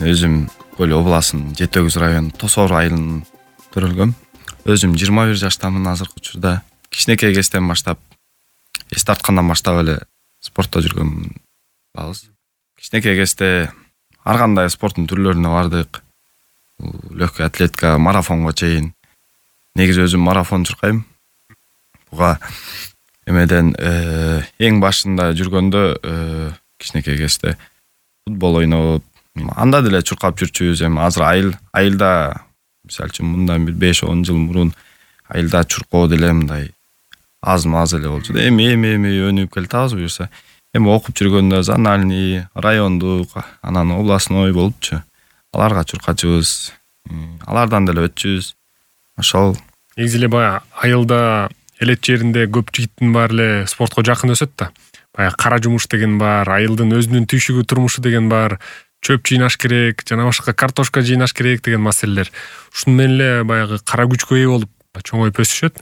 өзүм Көл областынын Жети Өгүз району Тосоор айылынан төрөлгөм. Өзүм 21 жаштамын азыркы учурда. Кичинекей кезден баштап, эс тарткандан баштап эле спортто жүргөн балбыз. Кичинекей кезде ар кандай спорттун түрлөрүнө бардык. Легкий атлетика, марафонго чейин. Негизи өзүм марафон чуркайм. Буга эмеден эң башында жүргөндө кичинекей кезде футбол ойноп, анда деле чуркап жүрчүбүз. Эми азыр айылда мисалы үчүн мындан бир 5-10 жыл мурун айылда чуркоо деле мындай аз-маз эле болчу да. Эми өнүгүп келатабыз буюрса. Эми окуп жүргөндө зональный, райондук, анан областной болупчу. Аларга чуркачыбыз. Алардан деле өтчүбүз. Ошол негизи эле баягы айылда элет жеринде көп жигиттин баары эле спортко жакын өсөт да. Баягы кара жумуш деген бар, айылдын өзүнүн түйшүгү турмушу деген бар, чөп жыйнаш керек, жана башка картошка жыйнаш керек деген маселелер. Ушуну менен эле баягы кара күчкө ээ болуп чоңоюп өсүшөт.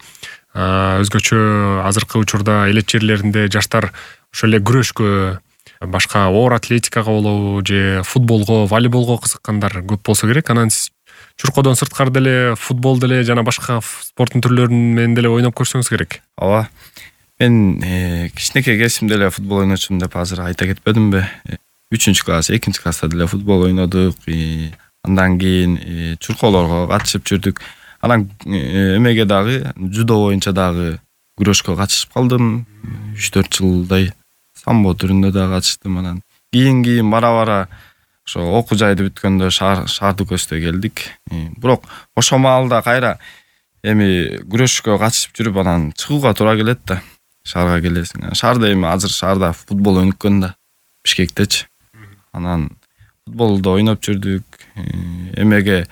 Өзгөчө азыркы учурда элет жерлеринде жаштар ошол эле күрөшкө, башка оор атлетикага болобу же футболго, волейболго кызыккандар көп болсо керек. Анан сиз чуркоодон сырткары деле футбол деле жана башка спорттун түрлөрүн менен деле ойноп көрсөңүз керек. Ооба. Мен кичинекей кезимде эле футбол ойночумун деп азыр айта кетпедимби? 3-класс, 2-класста деле футбол ойнодук. Андан кийин чуркоолорго катышып жүрдүк. Анан эмеге дагы, жудо боюнча дагы күрөшкө катышып калдым. 3-4 жылдай самбо түрүндө дагы катыштым. Анан кийин бара-бара ошо окуу жайды бүткөндө шаардык көстө келдик. Бирок ошол маалда кайра эми күрөшкө катышып жүрүп анан чыгууга туура келет да. Шаарга келесиң. Шаарда эми азыр шаарда футбол өнүккөн да. Бишкектечи. Анан футболду ойноп жүрдүк. Эмеге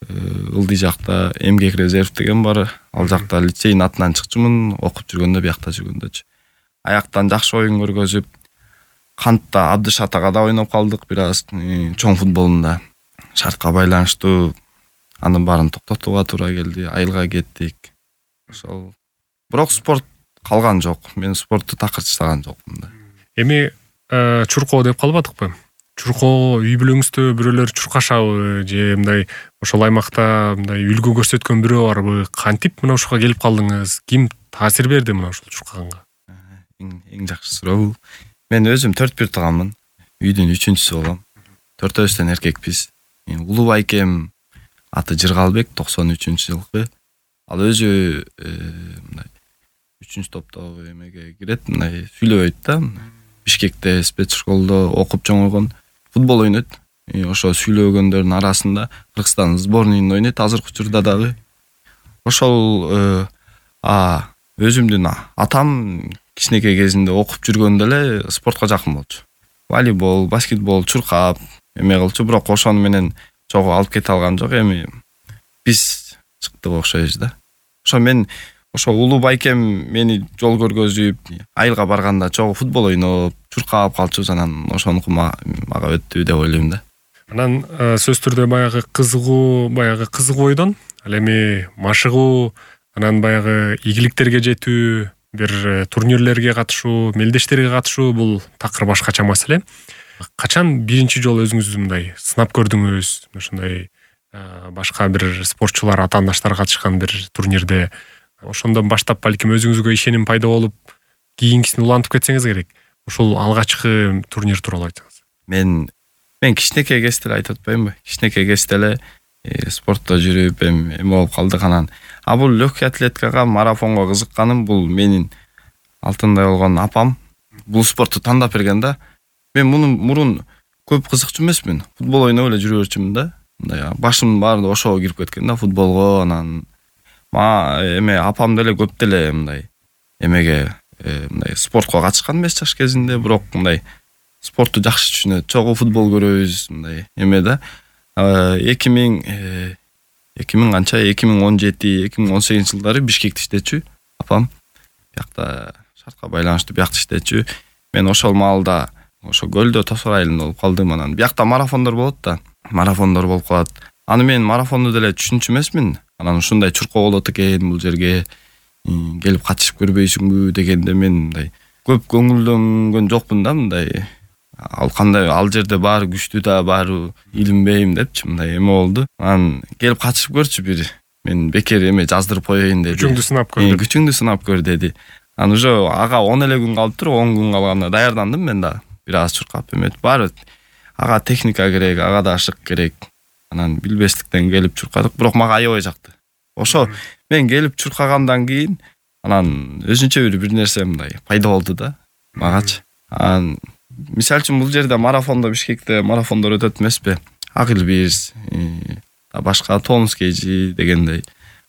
ылдый жакта эмгек резерв деген бар. Ал жакта лицейдин атынан чыкчумун, окуп жүргөндө, биякта жүргөндөчү. Аяктан жакшы оюн көргөзүп, Кантта Абдышат ага да ойноп калдык бир аз, чоң футболунда. Шартка байланыштуу анын баарын токтотууга туура келди, айылга кеттик. Ошол. Бирок спорт калган жок. Мен спортту такыр таштаган жокмун да. Эми чуркоо деп калбадыкпы? Чуркоо үй бүлөңүздө бирөөлөр чуркашабы же мындай ошол аймакта мындай үлгү көрсөткөн бирөө барбы? Кантип мына ушуга келип калдыңыз? Ким таасир берди мына ушул чуркаганга? Эң жакшы суроо. Мен өзүм 4 тууганмын. Үйдүн 3-чүсү болом. 4-өбүздөн эркекпиз. Улуу байкем аты Жыргалбек, 93-жылкы. Ал өзү мындай 3-топтогу эмеге кирет, мындай сүйлөбөйт да. Бишкекте спецшколдо окуп чоңойгон, футбол ойнойт. Ошо сүйлөгөндөрдүн арасында Кыргызстан сборныйында ойнойт азыркы учурда дагы. Ошол өзүмдүн атам кичинекей кезинде окуп жүргөндө эле спортко жакын болчу. Волейбол, баскетбол чуркап эме кылчу, бирок ошону менен чогуу алып кете алган жок. Эми биз чыктык окшойбуз да. Ошо мен улуу байкем мени жол көргөзүп, айылга барганда чогуу футбол ойноп, чуркап калчубуз, анан ошонуку мага өттү деп ойлойм да. Анан сөз түрдө баягы кызыгуу бойдон, ал эми машыгуу, анан баягы ийгиликтерге жетүү, бир турнирлерге катышуу, мелдештерге катышуу бул такыр башкача маселе. Качан биринчи жолу өзүңүздү мындай сынап көрдүңүз? Ушундай башка бир спортчулар, атаандаштар катышкан бир турнирде. Ошондон баштап балким өзүңүзгө ишеним пайда болуп, кийинкисин улантып кетсеңиз керек. Ушул алгачкы турнир тууралуу айтыңыз. Мен кичинекей кезде эле айтып атпаймынбы? Кичинекей кезде эле спортто жүрүп, эме болуп калдык. Анан бул легкий атлетикага, марафонго кызыкканым бул менин алтындай болгон апам бул спортту тандап берген да. Мен мурун көп кызыкчу эмесмин. Футбол ойноп эле жүрө берчүмүн да. Мындай башымдын баары ошого кирип кеткен да, футболго. Анан эме апам деле көп деле мындай эмеге мындай спортко катышкан эмес жаш кезинде, бирок мындай спортту жакшы түшүнөт. Чогуу футбол көрөбүз, мындай эме да. 2017-2018 жылдары Бишкекте иштечү апам. Биякта шартка байланыштуу биякта иштечү. Мен ошол маалда ошо көлдө Тосоор айылында болуп калдым. Анан биякта марафондор болот да. Марафондор болуп калат. Аны мен марафонду деле түшүнчү эмесмин. Анан ушундай чуркоо болот экен бул жерге. Келип катышып көрбөйсүңбү дегенде мен мындай көп көңүлдөнгөн жокмун да, мындай ал кандай, ал жерде баары күчтүү да, баары илинбейм депчи, мындай эме болду. Анан келип катышып көрчү бири. Мен бекер эме жаздырып коеюн деди. Күчүңдү сынап көр. Күчүңдү сынап көр деди. Анан уже ага 10 эле күн калыптыр, 10 күн калганда даярдандым мен да. Бир аз чуркап эметип, баары ага техника керек, ага да ашык керек. Анан билбестиктен келип чуркадык, бирок мага аябай жакты. Ошо мен келип чуркагандан кийин анан өзүнчө бир нерсе мындай пайда болду да магачы. Анан мисалы үчүн бул жерде марафондо, Бишкекте марафондор өтөт эмеспи? Акылбиз, башка тонус кейжи дегендей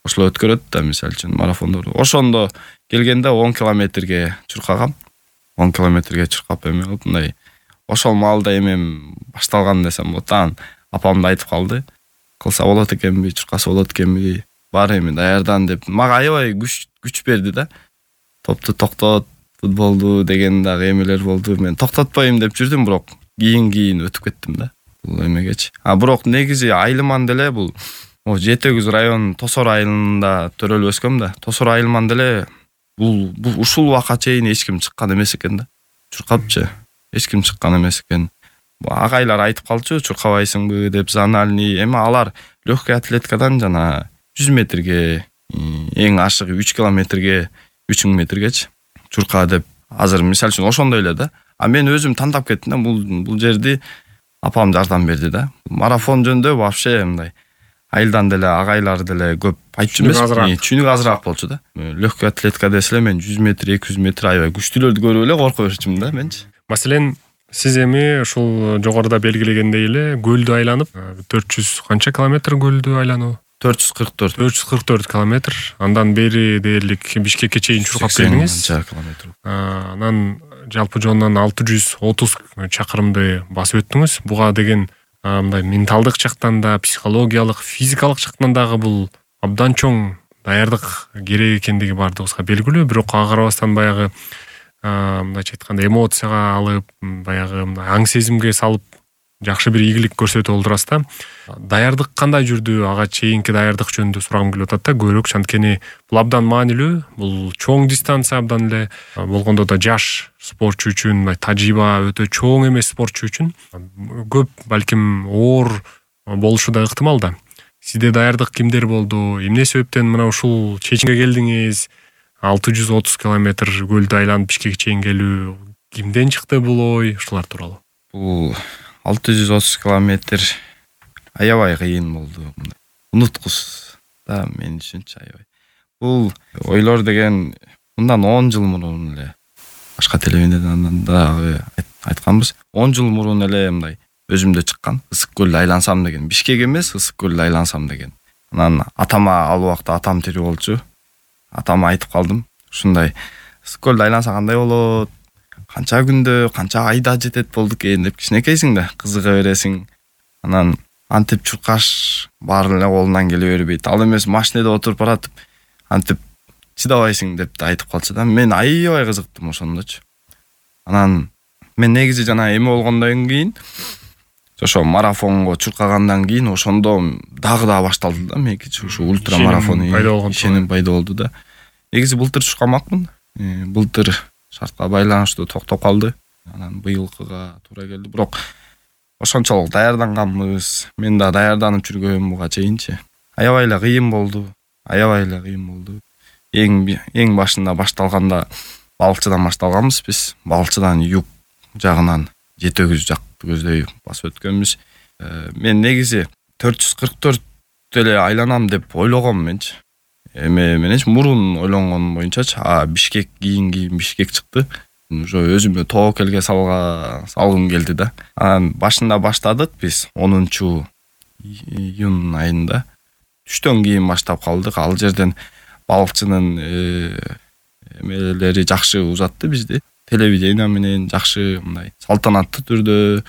ошол өткөрөт да, мисалы үчүн марафондор. Ошондо келгенде 10 километрге чуркагам. 10 километрге чуркап эме болуп, мындай ошол маалда эмем башталган десем болот. Анан апам да айтып калды. Кылса болот экенби, чуркаса болот экенби? Бар эми даярдан деп. Мага аябай күч берди да. Топту токтот, футболду деген дагы эмелер болду. Мен токтотпойм деп жүрдүм, бирок кийин өтүп кеттим да. Бул эмегечи. Бирок негизи айылман деле бул Жети Өгүз районунун Тосор айылында төрөлүп өскөм да. Тосор айылман деле бул ушул убакка чейин эч ким чыккан эмес экен да. Чуркапчы. Эч ким чыккан эмес экен. Агайлар айтып калчу, чуркабайсыңбы деп, зональный. Эми алар легкий атлетикадан жана 100 метрге, эң ашыгы 3 километрге, 3000 метргечи чурка деп. Азыр мисалы үчүн ошондой эле да. Мен өзүм тандап кеттим да, бул жерди апам жардам берди да. Марафон жөнүндө вообще мындай айылдан деле, агайлар деле көп айтчу эмес, чүнүк азыраак болчу да. Легкий атлетика десе эле мен 100 метр, 200 метр аябай күчтүүлөрдү көрүп эле корко берчүмүн да менчи. Маселен, сиз эми ушул жогоруда белгилегендей эле көлдү айланып, 400 канча километр көлдү айлануу? 444 километр. Андан бери дээрлик Бишкекке чейин чуркап келдиңиз. Анан жалпы жонунан 630 чакырымды басып өттүңүз. Буга деген мындай менталдык жактан да, психологиялык, физикалык жактан дагы бул абдан чоң даярдык керек экендиги бардыгыбызга белгилүү. Бирок ага карабастан баягы мындайча айтканда эмоцияга алып, баягы аң сезимге салып жакшы бир ийгилик көрсөтүп олдурасыз да. Даярдык кандай жүрдү? Ага чейинки даярдык жөнүндө сурагым келип атат да. Көбүрөөк анткени бул абдан маанилүү, бул чоң дистанция, абдан эле болгондо да жаш спортчу үчүн, тажрыйба өтө чоң эмес спортчу үчүн көп балким оор болушу да ыктымал да. Сизде даярдык кимдер болду? Эмне себептен мына ушул чечимге келдиңиз? 630 километр көлдү айланып Бишкекке чейин келүү кимден чыкты бул ой? Ушулар тууралуу. Бул 630 километр аябай кыйын болду. Унуткус да мен үчүнчү аябай. Бул ойлор деген мындан 10 жыл мурун эле башка телевидениедан айтканбыз. 10 жыл мурун эле мындай өзүмдө чыккан. Ысык көлдү айлансам деген. Бишкек эмес, Ысык көлдү айлансам деген. Анан атама ал убакта атам тирүү болчу. Атама айтып калдым. Ушундай Ысык көлдү айланса кандай болот? Канча күндө, канча айда жетет болду экен деп, кичинекейсиң да, кызыга бересиң. Анан антип чуркаш баары эле колунан келе бербейт. Ал эмес машинеде отуруп баратып, антип чыдабайсың деп да айтып калчу да. Мен аябай кызыктым ошондочу. Анан мен негизи жана эме болгондон кийин, ошо марафонго чуркагандан кийин ошондо дагы башталды да меники ушу ультра марафон ишеним пайда болду да. Негизи былтыр чуркамакмын. Былтыр шартка байланыштуу токтоп калды. Анан быйылкыга туура келди. Бирок ошончолук даярданганбыз. Мен да даярданып жүргөм буга чейинчи. Аябай эле кыйын болду. Эң башында башталганда балыкчыдан башталганбыз биз. Балыкчыдан юг жагынан Жети Өгүз жакты көздөй басып өткөнбүз. Мен негизи 444 эле айланам деп ойлогом менчи. Эме мененчи мурун ойлонгон боюнчачы, Бишкек кийин Бишкек чыкты. Уже өзүмө тоо келге салгым келди да. Анан башында баштадык биз 10-июнь айында. Түштөн кийин баштап калдык. Ал жерден балыкчынын эмелери жакшы узатты бизди. Телевидение менен жакшы мындай салтанаттуу түрдө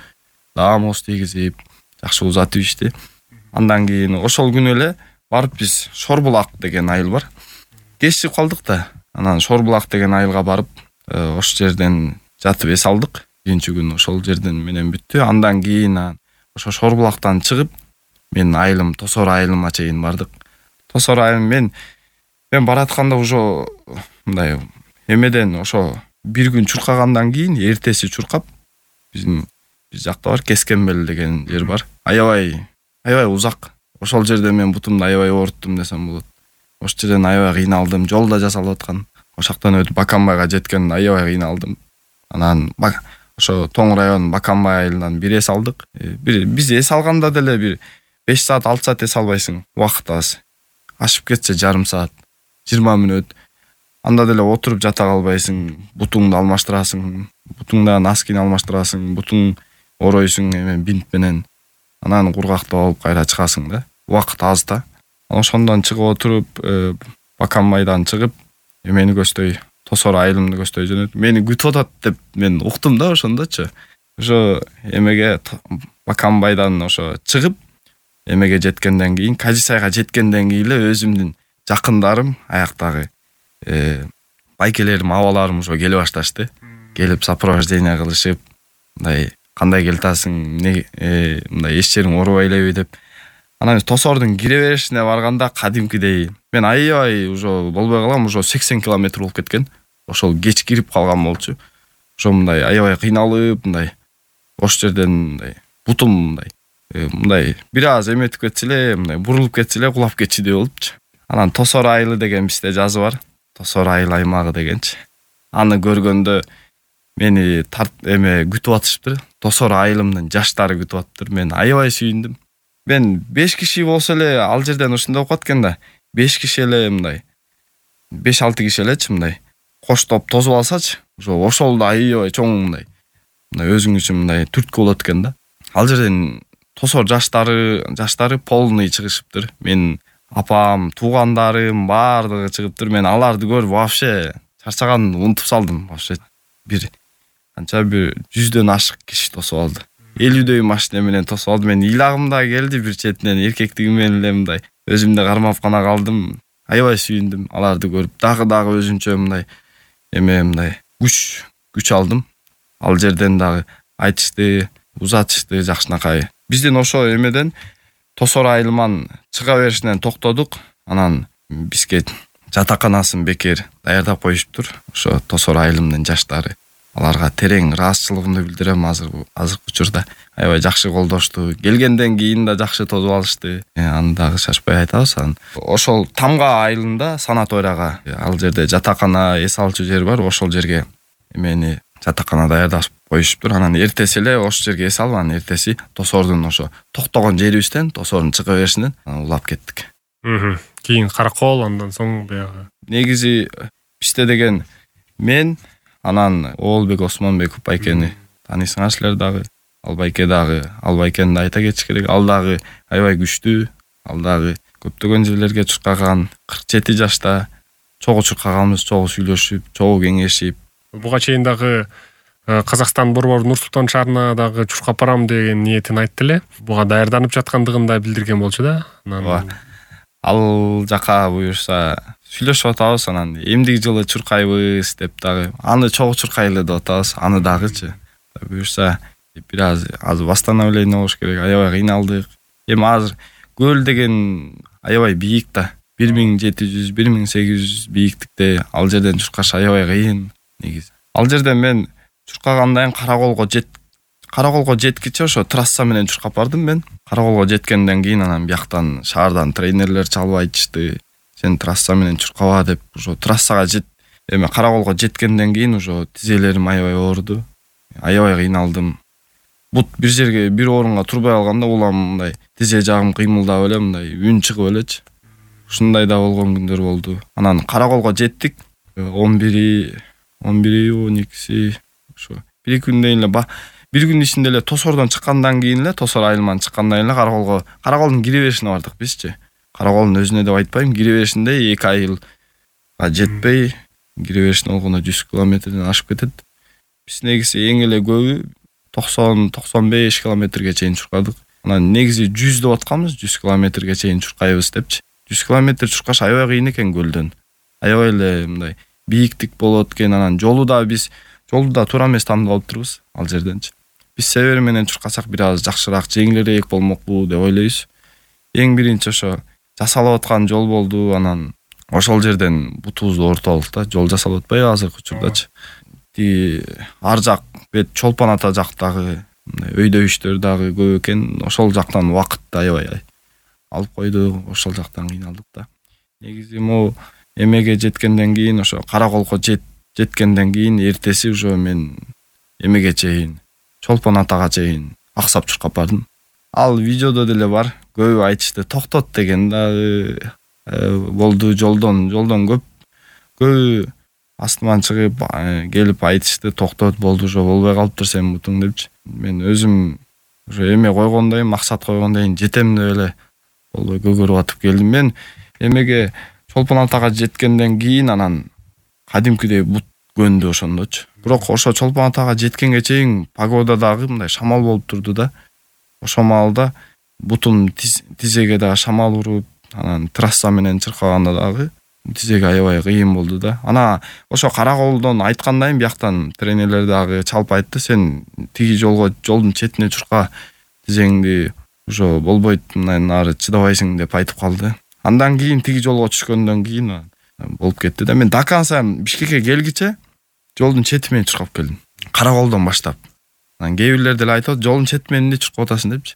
даамоз тийгизип жакшы узатып ишти. Андан кийин ошол күнү эле барып биз Шорбулак деген айыл бар. Кечип калдык да. Анан Шорбулак деген айылга барып, ошол жерден жатып эс алдык. Биринчи күн ошол жерден менен бүттү. Андан кийин ошо Шорбулактан чыгып, мен айылым Тосор айылыма чейин бардык. Тосор айылым мен баратканда уже мындай эмеден ошо бир күн чуркагандан кийин эртеси чуркап, биздин бир жакта бар, Кескенбел деген жер бар. Аябай узак. Ошол жерде мен бутумду аябай ооруттум десем болот. Ошол жерден аябай кыйналдым. Жолда жасалып аткан. Ошоктон өтүп Баканбайга жеткен аябай кыйналдым. Анан ошо Тоң районунун Баканбай айылынан бир эс алдык. Биз эс алганда деле бир 5 саат 6 саат эс албайсың. Убакыт аз. Ашып кетсе жарым саат, 20 мүнөт. Анда деле отуруп жата калбайсың. Бутуңду алмаштырасың. Бутуңда носкини алмаштырасың. Бутуң оройсуң бинт менен. Анан кургактап алып кайра чыгасың да. Убакыт аз да. Ошондон чыгып отуруп, Баканбайдан чыгып, мени көздөй, Тосор айылымды көздөй жөнөтүп, мени күтүп атат деп мен уктум да ошондочу. Ошо эмеге Баканбайдан ошо чыгып, эмеге жеткенден кийин, Кажисайга жеткенден кийин эле өзүмдүн жакындарым, аяктагы байкелерим, абаларым ошо келе башташты. Келип сопровождение кылышып, мындай кандай келатасың, мындай эч жериң оорубай элеби деп. Анан Тосордун кире беришине барганда кадимкидей мен аябай уже болбой калам, уже 80 километр болуп кеткен. Ошол кеч кирип калган болчу. Ошо мындай аябай кыйналып, мындай ош жерден мындай бутум мындай бир аз эметип кетсе эле, мындай бурулуп кетсе эле кулап кетчүдөй болупчу. Анан Тосор айылы деген бизде жазы бар. Тосор айыл аймагы дегенчи. Аны көргөндө мени күтүп атышыптыр. Тосор айылымдын жаштары күтүп атыптыр. Мен аябай сүйүндүм. Мен 5 киши болсо эле ал жерден ушундай окуп аткан да. 5 киши эле мындай 5-6 киши элечи мындай коштоп тосуп алсачы, ошол да аябай чоң мындай өзүң үчүн мындай түрткү болот экен да. Ал жерден Тосор жаштары полный чыгышыптыр. Мен апам, туугандарым баардыгы чыгыптыр. Мен аларды көрүп вообще чарчаганымды унутуп салдым. Вообще бир 100дөн ашык киши тосуп алды. 50дөй машина менен тосуп алды. Мен ыйлагым да келди бир четинен, эркектигим менен эле мындай өзүмдү кармап гана калдым. Аябай сүйүндүм аларды көрүп. Дагы өзүнчө мындай күч алдым. Ал жерден дагы айтышты, узатышты жакшынакай. Биздин ошо эмеден Тосор айылыман чыга беришинен токтодук. Анан бизге жатаканасын бекер даярдап коюшуптур. Ошо Тосор айылымдын жаштары. Аларга терең ыраазычылыгымды билдирем азыркы учурда. Аябай жакшы колдошту. Келгенден кийин да жакшы тосуп алышты. Аны дагы шашпай айтабыз. Ошол Тамга айылында санаторияга, ал жерде жатакана, эс алчу жер бар. Ошол жерге мени жатакана даярдап коюшуптур. Анан эртеси эле ошол жерге эс алып, анан эртеси Тосордун ошо токтогон жерибизден, Тосордун чыга беришинен улап кеттик. Кийин Каракол, андан соң баягы. Негизи бизде деген мен, анан Оолбек Осмонбеков байкени таанысыңар силер дагы. Ал байке дагы, ал байкени да айта кетиш керек. Ал дагы аябай күчтүү. Ал дагы көптөгөн жерлерге чуркаган, 47 жашта чогуу чуркаганбыз, чогуу сүйлөшүп, чогуу кеңешип. Буга чейин дагы Казакстан борбор Нур-Султан шаарына дагы чуркап барам деген ниетин айтты эле. Буга даярданып жаткандыгын да билдирген болчу да. Ал жака буюрса сүйлөшүп атабыз, анан эмдиги жылы чуркайбыз деп дагы. Аны чогуу чуркайлы деп атабыз, аны дагычы. Буюрса бир аз восстановление болуш керек. Аябай кыйналдык. Эми азыр көл деген аябай бийик да. 1700, 1800 бийиктикте ал жерден чуркаш аябай кыйын негизи. Ал жерден мен чуркагандан кийин Караколго жеткиче ошо трасса менен чуркап бардым мен. Караколго жеткенден кийин анан бияктан шаардан тренерлер чалып айтышты. Сен трасса менен чуркаба деп, ошо трассага Караколго жеткенден кийин ошо тизелерим аябай ооруду. Аябай кыйналдым. Бут бир жерге, бир орунга турбай алганда улам мындай тизе жагым кыймылдап эле мындай үн чыгып элечи. Ушундай да болгон күндөр болду. Анан Караколго жеттик. 11-12 ошо бир күндөн эле бир күн ичинде эле Тосордон чыккандан кийин эле, Тосор айылынан чыккандан кийин эле Караколдун кире беришине бардык бизчи. Караколдун өзүнө деп айтпайм, кире беришинде 2 айылга жетпей, кире беришине болгондо 100 километрден ашып кетет. Биз негизи эң эле көбү 90-95 километрге чейин чуркадык. Анан негизи 100 деп атканбыз, 100 километрге чейин чуркайбыз депчи. 100 километр чуркаш аябай кыйын экен көлдөн. Аябай эле мындай бийиктик болот экен. Анан жолу да туура эмес тандап алыптырбыз ал жерденчи. Биз север менен чуркасак бир аз жакшыраак, жеңилирээк болмокпу деп ойлойбуз. Эң биринчи ошо жасалып аткан жол болду. Анан ошол жерден бутубузду оорутуп алдык да. Жол жасалып атпайбы азыркы учурдачы. Ар жак бет Чолпон ата жактагы өйдө иштер дагы көп экен. Ошол жактан убакытты аябай алып койду. Ошол жактан кыйналдык да. Негизи могу эмеге жеткенден кийин, ошо Караколго жеткенден кийин эртеси уже мен эмеге чейин, Чолпон Атага чейин аксап чуркап бардым. Ал видеодо деле бар. Көбү айтышты, токтот деген дагы болду. Жолдон көбү астыман чыгып келип айтышты, токтот, болду, уже болбой калыптыр сен бутуң депчи. Мен өзүм уже эме койгондойм, максат койгондойм, жетем деп эле болбой көгөрүп атып келдим. Мен эмеге Чолпон Атага жеткенден кийин анан кадимкидей бут көнду ошондочу. Бирок ошо Чолпон Атага жеткенге чейин погода дагы мындай шамал болуп турду да. Ошол маалда бутум тизеге дагы шамал уруп, анан трасса менен чыркаганда дагы тизеге аябай кыйын болду да. Ана ошо Караколдон айткандайым, бияктан тренерлер дагы чалып айтты, сен тиги жолдун четине чурка, тизеңди уже болбойт, мындан ары чыдабайсың деп айтып калды. Андан кийин тиги жолго түшкөндөн кийин болуп кетти да. Мен до конца Бишкекке келгиче жолдун чети менен чуркап келдим. Караколдон баштап. Анан кээ бирлер деле айтат, жолдун чети менен чуркап атасың депчи.